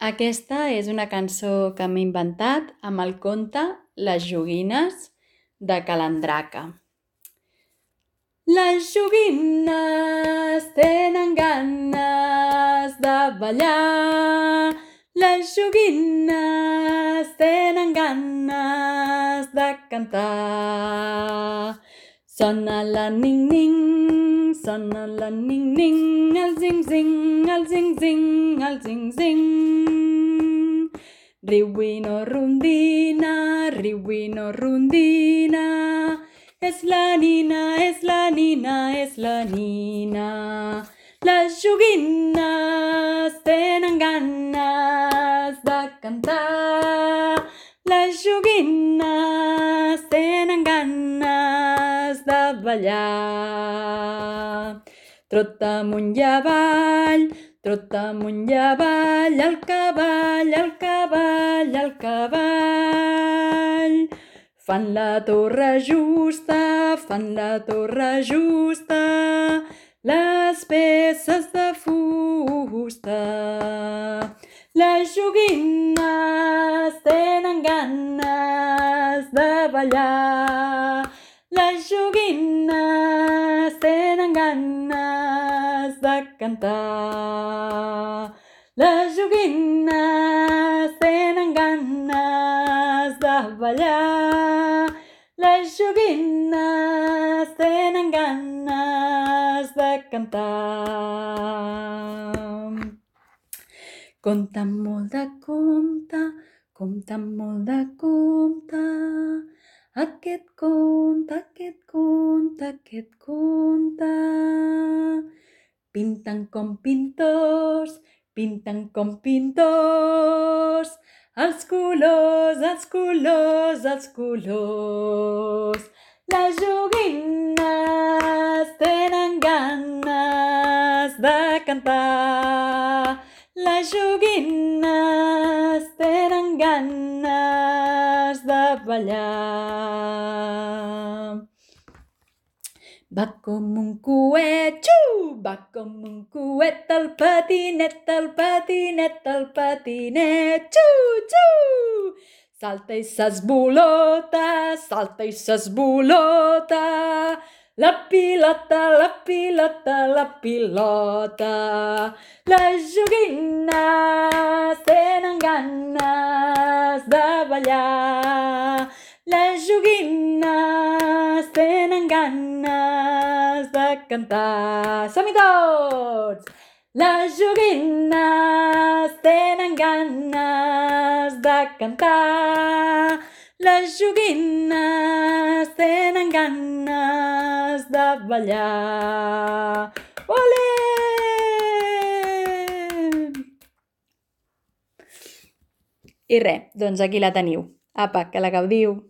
Aquesta és una cançó que m'he inventat amb el conte Les joguines de Calandraca. Les joguines tenen ganes de ballar. Les joguines tenen ganes de cantar. Sona la ning-ning, sona la ning-ning, el zing-zing, el zing-zing, el zing-zing. Riuino rondina, riuino rondina, és la nina, és la nina, és la nina. Les joguines tenen ganes de cantar. Les joguines tenen ganes de ballar. Trota amunt i avall, trota amunt i avall, el cavall, el cavall, el cavall. Fan la torre justa, fan la torre justa, les peces de fusta. Les joguines tenen ganes de ballar. Les joguines tenen ganes de cantar. Les joguines tenen ganes de ballar. Les joguines tenen ganes de cantar. Conta molt de conte, conta molt de conte. Aquest conte, aquest conte, aquest conte. Pinten com pintors, pinten com pintors. Els colors, els colors, els colors. Les joguines tenen ganes de cantar. Les joguines tenen ganes de ballar. Va com un coet, xiu! Va com un coet, el patinet, el patinet, el patinet, xiu, xiu! Salta i s'esbolota, salta i s'esbolota. La pilota, la pilota, la pilota. Les joguines tenen ganes de ballar. Les joguines tenen ganes de cantar. Som-hi tots! Les joguines tenen ganes de cantar. Les joguines tenen ganes de ballar. Olé! I res, doncs aquí la teniu. Apa, que la gaudiu!